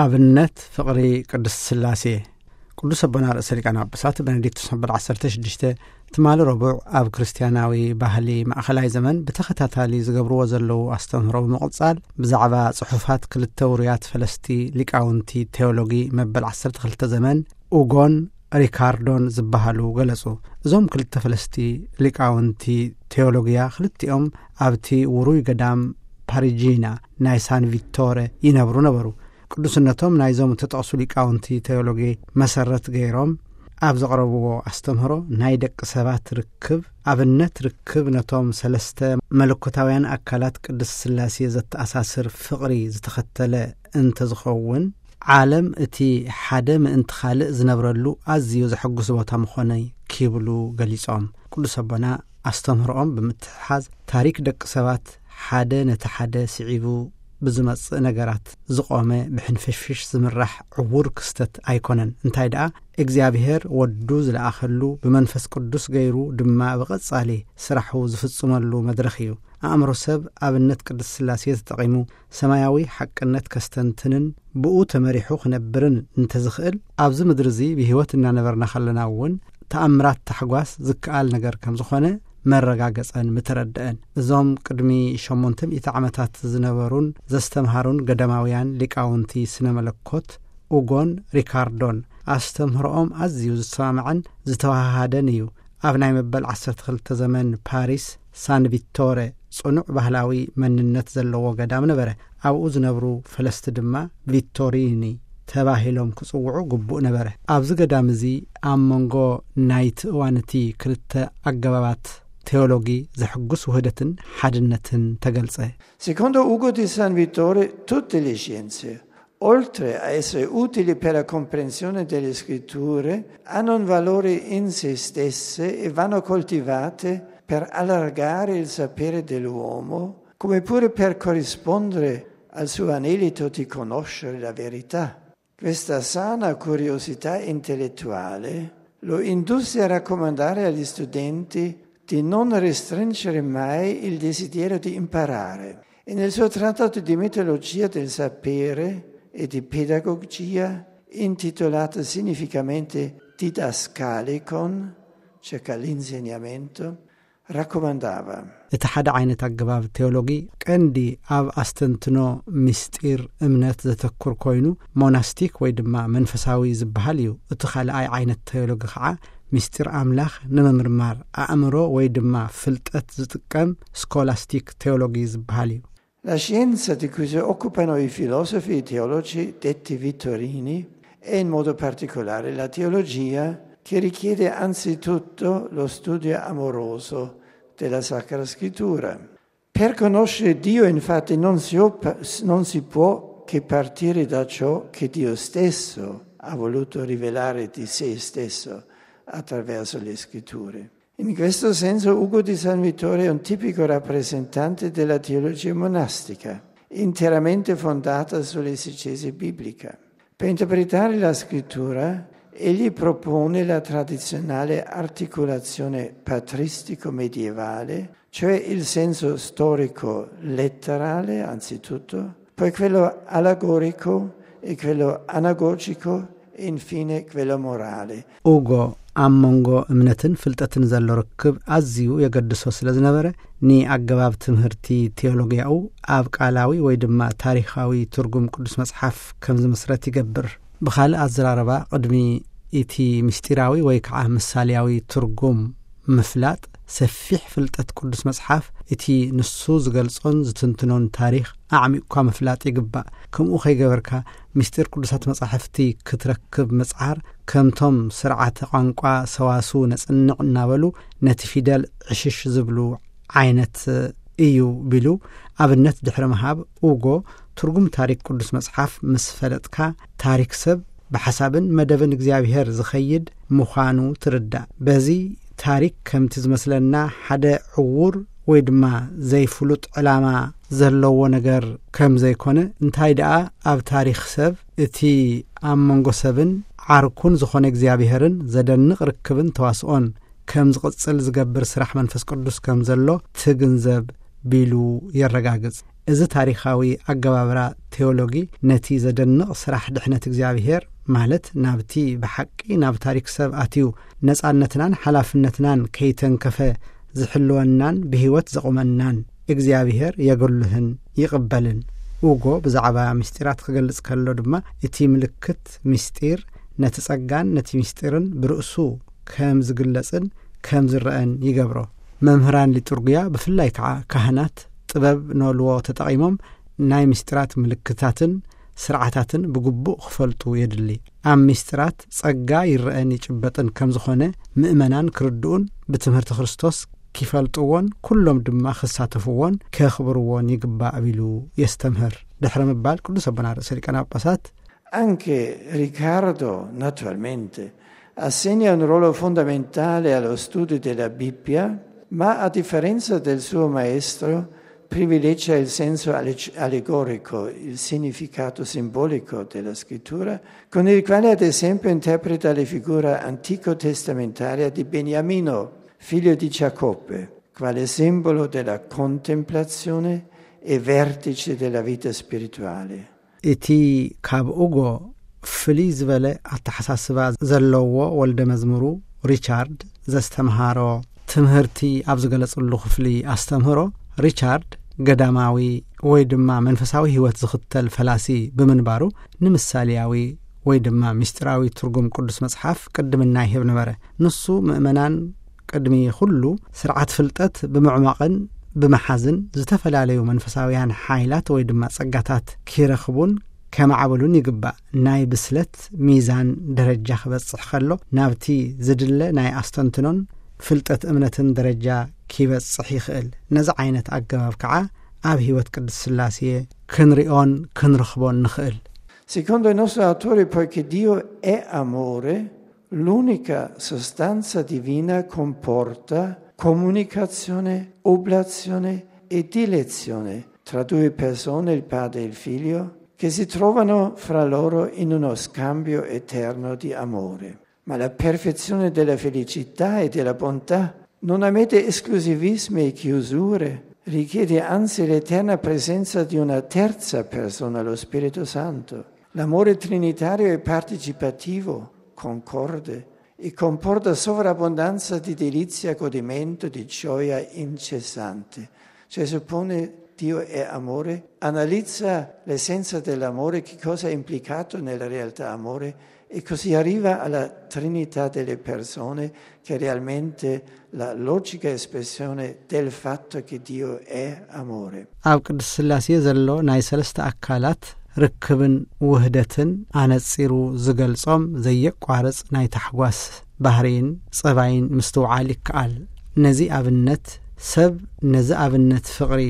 ኣብነት ፍቕሪ ቅድስት ሥላሴ። ቅዱስ ኣቦና ርእሰ ሊቃነ ጳጳሳት ቤኔዲክቶስ መበል ዓሰርተ ሽዱሽተ ትማሊ ረቡዕ ኣብ ክርስትያናዊ ባህሊ ማእኸላይ ዘመን ብተኸታታሊ ዝገብርዎ ዘለዉ ኣስተምህሮ ብምቕጻል፣ ብዛዕባ ጽሑፋት ክልተ ውሩያት ፈለስቲ ሊቃውንቲ ቴዎሎጊ መበል ዓሰርተ ክልተ ዘመን ኡጎን ሪካርዶን ዝበሃሉ ገለጹ። እዞም ክልተ ፈለስቲ ሊቃውንቲ ቴዎሎጊያ ክልቲኦም ኣብቲ ውሩይ ገዳም ፓሪጂና ናይ ሳን ቪቶረ ይነብሩ ነበሩ። ቅዱስነቶም ናይዞም እተጠቕሱ ሊቃውንቲ ቴዎሎጊ መሰረት ገይሮም ኣብ ዘቕረብዎ ኣስተምህሮ፣ ናይ ደቂ ሰባት ርክብ ኣብነት ርክብ ነቶም ሰለስተ መለኮታውያን ኣካላት ቅድስት ሥላሴ ዘተኣሳስር ፍቕሪ ዝተኸተለ እንተዝኸውን፣ ዓለም እቲ ሓደ ምእንቲ ካልእ ዝነብረሉ ኣዝዩ ዘሐጉስ ቦታ ምኾነ ክብሉ ገሊጾም። ቅዱስ ኣቦና ኣስተምህሮኦም ብምትሕሓዝ፣ ታሪክ ደቂ ሰባት ሓደ ነቲ ሓደ ስዒቡ ብዝመጽእ ነገራት ዝቖመ ብሕንፍሽፍሽ ዝምራሕ ዕዉር ክስተት ኣይኮነን። እንታይ ደኣ እግዚኣብሔር ወዱ ዝለኣኸሉ ብመንፈስ ቅዱስ ገይሩ ድማ ብቐጻሊ ስራሑ ዝፍጽመሉ መድረኽ እዩ። ኣእምሮ ሰብ ኣብነት ቅድስት ሥላሴ ተጠቒሙ ሰማያዊ ሓቅነት ከስተንትንን ብኡ ተመሪሑ ክነብርን እንተዝኽእል፣ ኣብዚ ምድሪ እዚ ብህይወት እናነበርና ከለና እውን ተኣምራት ታሕጓስ ዝከኣል ነገር ከም ዝኾነ መረጋገጸን ምተረድአን። እዞም ቅድሚ ሸሞንተ ሚእቲ ዓመታት ዝነበሩን ዘስተምሃሩን ገዳማውያን ሊቃውንቲ ስነ መለኮት ኡጎን ሪካርዶን ኣስተምህሮኦም ኣዝዩ ዝሰማማዕን ዝተዋሃሃደን እዩ። ኣብ ናይ መበል ዓሰርተ ክልተ ዘመን ፓሪስ ሳን ቪቶረ ጽኑዕ ባህላዊ መንነት ዘለዎ ገዳም ነበረ። ኣብኡ ዝነብሩ ፈለስቲ ድማ ቪቶሪኒ ተባሂሎም ክጽውዑ ግቡእ ነበረ። ኣብዚ ገዳም እዚ ኣብ መንጎ ናይቲ እዋን እቲ ክልተ ኣገባባት ቴዎሎጊ ዘሕጉስ ውህደትን ሓድነትን ተገልጸ። Secondo Ugo di San Vittore, tutte le scienze, oltre a essere utili per la comprensione delle scritture, hanno un valore in se stesse e vanno coltivate per allargare il sapere dell'uomo, come pure per corrispondere al suo anelito di conoscere la verità. Questa sana curiosità intellettuale lo indusse a raccomandare agli studenti di non restringere mai il desiderio di imparare. E nel suo trattato di metodologia del sapere e di pedagogia, intitolato significativamente Didascalicon, circa l'insegnamento, raccomandava. እቲ ሓደ ዓይነት ኣገባብ ቴዎሎጊ ቀንዲ ኣብ ኣስተንትኖ ምስጢር እምነት ዘተኩር ኮይኑ፣ ሞናስቲክ ወይ ድማ መንፈሳዊ ዝበሃል እዩ። እቲ ካልኣይ ዓይነት ቴዎሎጊ ከዓ ምስጢር ኣምላኽ ንምምርማር ኣእምሮ ወይ ድማ ፍልጠት ዝጥቀም ስኮላስቲክ ቴዎሎጊ ዝበሃል እዩ። La scienza di cui si occupano i filosofi e i teologi detti vittorini è in modo particolare la teologia, che richiede anzitutto lo studio amoroso della Sacra Scrittura. Per conoscere Dio, infatti, non si, op- non si può che partire da ciò che Dio stesso ha voluto rivelare di se stesso attraverso le scritture. In questo senso Ugo di San Vittore è un tipico rappresentante della teologia monastica, interamente fondata sull'esegesi biblica. Per interpretare la scrittura, egli propone la tradizionale articolazione patristico-medievale, cioè il senso storico letterale, anzitutto, poi quello allegorico e quello anagogico e infine quello morale. ኡጎ ኣብ መንጎ እምነትን ፍልጠትን ዘሎ ርክብ ኣዝዩ የገድሶ ስለ ዝነበረ፣ ንኣገባብ ትምህርቲ ቴዎሎጊያኡ ኣብ ቃላዊ ወይ ድማ ታሪኻዊ ትርጉም ቅዱስ መጽሓፍ ከም ዝምስረት ይገብር። ብኻልእ ኣዘራርባ፣ ቅድሚ እቲ ምስጢራዊ ወይ ከዓ ምሳሌያዊ ትርጉም ምፍላጥ፣ ሰፊሕ ፍልጠት ቅዱስ መጽሓፍ፣ እቲ ንሱ ዝገልጾን ዝትንትኖን ታሪኽ ኣዕሚቕኳ ምፍላጥ ይግባእ። ከምኡ ከይገበርካ፣ ምስጢር ቅዱሳት መጻሕፍቲ ክትረክብ ምጽዓር፣ ከምቶም ስርዓተ ቋንቋ ሰዋስው ነጽንዕ እናበሉ ነቲ ፊደል ዕሽሽ ዝብሉ ዓይነት እዩ ቢሉ ኣብነት ድሕሪ ምሃብ፣ ኡጎ ትርጉም ታሪክ ቅዱስ መጽሓፍ ምስ ፈለጥካ፣ ታሪክ ሰብ ብሓሳብን መደብን እግዚኣብሔር ዝኸይድ ምዃኑ ትርዳእ። በዚ ታሪክ ከምቲ ዝመስለና ሓደ ዕዉር ወይ ድማ ዘይፍሉጥ ዕላማ ዘለዎ ነገር ከም ዘይኮነ፣ እንታይ ደኣ ኣብ ታሪኽ ሰብ እቲ ኣብ መንጎ ሰብን ዓርኩን ዝኾነ እግዚኣብሔርን ዘደንቕ ርክብን ተዋስኦን ከም ዝቕጽል ዝገብር ስራሕ መንፈስ ቅዱስ ከም ዘሎ ትግንዘብ ቢሉ የረጋግጽ። እዚ ታሪኻዊ ኣገባብራ ቴዎሎጊ ነቲ ዘደንቕ ስራሕ ድሕነት እግዚኣብሔር፣ ማለት ናብቲ ብሓቂ ናብ ታሪክ ሰብ ኣትዩ ነጻነትናን ሓላፍነትናን ከይተንከፈ ዝሕልወናን ብህይወት ዘቑመናን እግዚኣብሔር የገሉህን ይቕበልን። ኡጎ ብዛዕባ ምስጢራት ክገልጽ ከሎ ድማ፣ እቲ ምልክት ምስጢር ነቲ ጸጋን ነቲ ምስጢርን ብርእሱ ከም ዝግለጽን ከም ዝረአን ይገብሮ። መምህራን ሊጡርግያ፣ ብፍላይ ከዓ ካህናት፣ ጥበብ ኖልዎ ተጠቒሞም ናይ ምስጢራት ምልክታትን ስርዓታትን ብግቡእ ክፈልጡ የድሊ። ኣብ ምስጢራት ጸጋ ይረአን ይጭበጥን ከም ዝኾነ ምእመናን ክርድኡን ብትምህርቲ ክርስቶስ ኪፈልጥዎን ኩሎም ድማ ክሳተፍዎን ከኽብርዎን ይግባእ ቢሉ የስተምህር። ድሕሪ ምባል ቅዱስ ኣቦና ርእሰ ሊቃነ ጳጳሳት፣ Anche Riccardo, naturalmente, assegna un ruolo fondamentale allo studio della Bibbia, ma a differenza del suo maestro privilegia il senso alle- allegorico, il significato simbolico della scrittura, con il quale ad esempio interpreta la figura antico testamentaria di Beniamino, figlio di Giacobbe, quale simbolo della contemplazione e vertice della vita spirituale. እቲ ካብ ኡጎ ፍልይ ዝበለ ኣተሓሳስባ ዘለዎ ወልደ መዝሙሩ ሪቻርድ ዘስተምሃሮ ትምህርቲ ኣብ ዝገለጽሉ ክፍሊ ኣስተምህሮ፣ ሪቻርድ ገዳማዊ ወይ ድማ መንፈሳዊ ህይወት ዝኽተል ፈላሲ ብምንባሩ፣ ንምሳሌያዊ ወይ ድማ ምስጢራዊ ትርጉም ቅዱስ መጽሓፍ ቅድምና ይህብ ነበረ። ንሱ ምእመናን ቅድሚ ኩሉ ስርዓት ፍልጠት ብምዕማቕን ብምሓዝን፣ ዝተፈላለዩ መንፈሳውያን ሓይላት ወይ ድማ ጸጋታት ኪረኽቡን ከማዕብሉን ይግባእ። ናይ ብስለት ሚዛን ደረጃ ክበጽሕ ከሎ፣ ናብቲ ዝድለ ናይ ኣስተንትኖን ፍልጠት እምነትን ደረጃ ኪበጽሕ ይኽእል። ነዚ ዓይነት ኣገባብ ከዓ ኣብ ህይወት ቅድስት ስላሴ ክንሪኦን ክንረኽቦን ንኽእል። Secondo il nostro autore, poiché Dio è amore, l'unica sostanza divina comporta comunicazione, oblazione e dilezione tra due persone, il padre e il figlio, che si trovano fra loro in uno scambio eterno di amore. Ma la perfezione della felicità e della bontà non ammette esclusivismi e chiusure, richiede anzi l'eterna presenza di una terza persona, lo Spirito Santo. L'amore trinitario è partecipativo, concorde, e comporta sovrabbondanza di delizia, godimento, di gioia incessante. Cioè, suppone Dio è amore, analizza l'essenza dell'amore, che cosa è implicato nella realtà amore, e così arriva alla Trinità delle persone, che è realmente la logica espressione del fatto che Dio è amore. ኣብ ቅድስት ስላሴ ዘሎ ናይ ሰለስተ ኣካላት ርክብን ውህደትን ኣነጺሩ ዝገልጾም ዘየቋርጽ ናይ ታሕጓስ ባህርይን ጸባይን ምስትውዓል ይከኣል። ነዚ ኣብነት ሰብ፣ ነዚ ኣብነት ፍቕሪ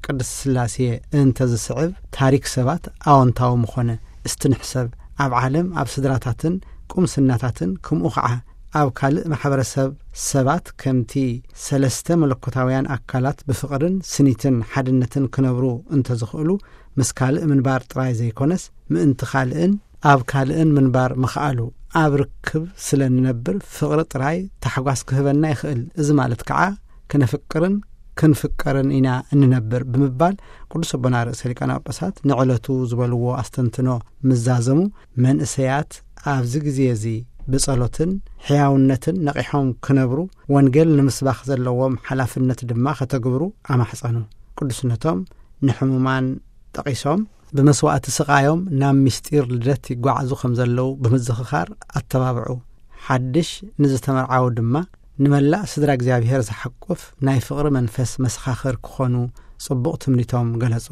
ቅድስት ስላሴ እንተ ዝስዕብ፣ ታሪክ ሰባት ኣወንታዊ ምኾነ። እስቲ ንሕሰብ፣ ኣብ ዓለም፣ ኣብ ስድራታትን ቁምስናታትን፣ ከምኡ ኸዓ ኣብ ካልእ ማሕበረሰብ ሰባት ከምቲ ሰለስተ መለኮታውያን ኣካላት ብፍቕርን ስኒትን ሓድነትን ክነብሩ እንተ ዝኽእሉ፣ ምስ ካልእ ምንባር ጥራይ ዘይኮነስ፣ ምእንቲ ካልእን ኣብ ካልእን ምንባር ምኽኣሉ፣ ኣብ ርክብ ስለ ንነብር ፍቕሪ ጥራይ ታሕጓስ ክህበና ይኽእል። እዚ ማለት ከዓ ክነፍቅርን ክንፍቀርን ኢና እንነብር ብምባል ቅዱስ ኣቦና ርእሰ ሊቃነ ጳጳሳት ንዕለቱ ዝበልዎ ኣስተንትኖ ምዛዘሙ፣ መንእሰያት ኣብዚ ግዜ እዚ ብጸሎትን ሕያውነትን ነቒሖም ክነብሩ፣ ወንጌል ንምስባኽ ዘለዎም ሓላፍነት ድማ ከተግብሩ ኣማሕጸኑ። ቅዱስነቶም ንሕሙማን ጠቒሶም፣ ብመስዋእቲ ስቓዮም ናብ ምስጢር ልደት ይጓዓዙ ከም ዘለዉ ብምዝኽኻር ኣተባብዑ። ሓድሽ ንዝተመርዓዉ ድማ፣ ንመላእ ስድራ እግዚኣብሔር ዝሓቁፍ ናይ ፍቕሪ መንፈስ መሰኻኽር ክኾኑ ጽቡቕ ትምኒቶም ገለጹ።